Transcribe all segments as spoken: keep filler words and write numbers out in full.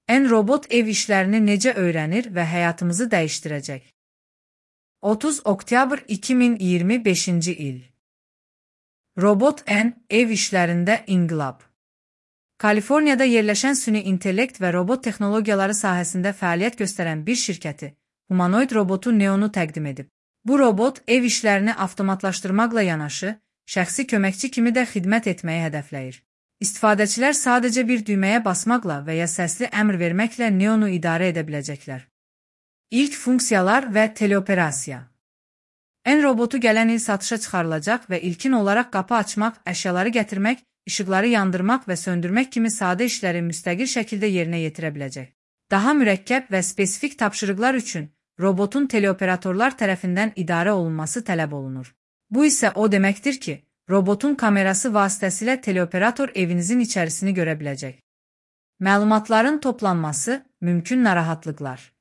En robot ev işlərini necə öyrənir və həyatımızı dəyişdirəcək? otuz oktyabr iki min iyirmi beşinci il. Robot en ev işlərində inqilab. Kaliforniyada yerləşən süni intellekt və robot texnologiyaları sahəsində fəaliyyət göstərən bir şirkəti humanoid robotu Neonu təqdim edib. Bu robot ev işlərini avtomatlaşdırmaqla yanaşı, şəxsi köməkçi kimi də xidmət etməyi hədəfləyir. İstifadəçilər sadəcə bir düyməyə basmaqla və ya səsli əmr verməklə Neonu idarə edə biləcəklər. İlk funksiyalar və teleoperasiya. En robotu gələn il satışa çıxarılacaq və ilkin olaraq qapı açmaq, əşyaları gətirmək, işıqları yandırmaq və söndürmək kimi sadə işləri müstəqil şəkildə yerinə yetirə biləcək. Daha mürəkkəb və spesifik tapşırıqlar üçün robotun teleoperatorlar tərəfindən idarə olunması tələb olunur. Bu isə o deməkdir ki, robotun kamerası vasitəsilə teleoperator evinizin içərisini görə biləcək. Məlumatların toplanması, mümkün narahatlıqlar.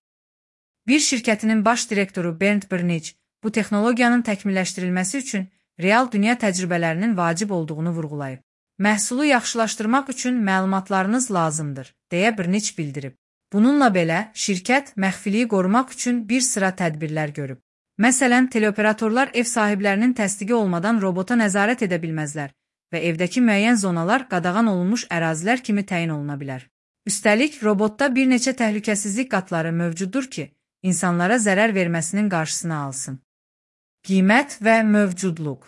Bir şirkətinin baş direktoru Bernd Bernich bu texnologiyanın təkmilləşdirilməsi üçün real dünya təcrübələrinin vacib olduğunu vurğulayıb. Məhsulu yaxşılaşdırmaq üçün məlumatlarınız lazımdır, deyə Bernich bildirib. Bununla belə, şirkət məxfiliyi qorumaq üçün bir sıra tədbirlər görüb. Məsələn, teleoperatorlar ev sahiblərinin təsdiqi olmadan robota nəzarət edə bilməzlər və evdəki müəyyən zonalar qadağan olunmuş ərazilər kimi təyin oluna bilər. Üstəlik, robotda bir neçə təhlükəsizlik qatları mövcuddur ki, insanlara zərər verməsinin qarşısını alsın. Qiymət və mövcudluq.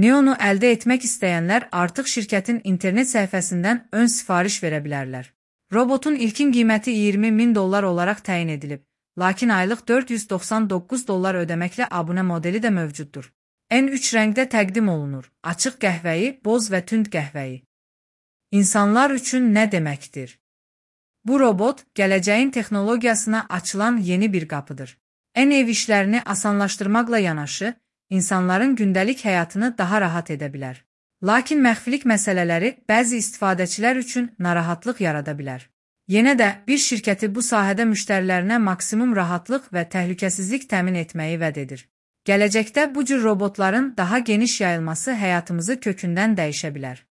Neonu əldə etmək istəyənlər artıq şirkətin internet səhifəsindən ön sifariş verə bilərlər. Robotun ilkin qiyməti iyirmi min dollar olaraq təyin edilib, lakin aylıq dörd yüz doxsan doqquz dollar ödəməklə abunə modeli də mövcuddur. En üç rəngdə təqdim olunur: açıq qəhvəyi, boz və tünd qəhvəyi. İnsanlar üçün nə deməkdir? Bu robot, gələcəyin texnologiyasına açılan yeni bir qapıdır. En ev işlərini asanlaşdırmaqla yanaşı, insanların gündəlik həyatını daha rahat edə bilər. Lakin məxfilik məsələləri bəzi istifadəçilər üçün narahatlıq yarada bilər. Yenə də bir şirkəti bu sahədə müştərilərinə maksimum rahatlıq və təhlükəsizlik təmin etməyi vəd edir. Gələcəkdə bu cür robotların daha geniş yayılması həyatımızı kökündən dəyişə bilər.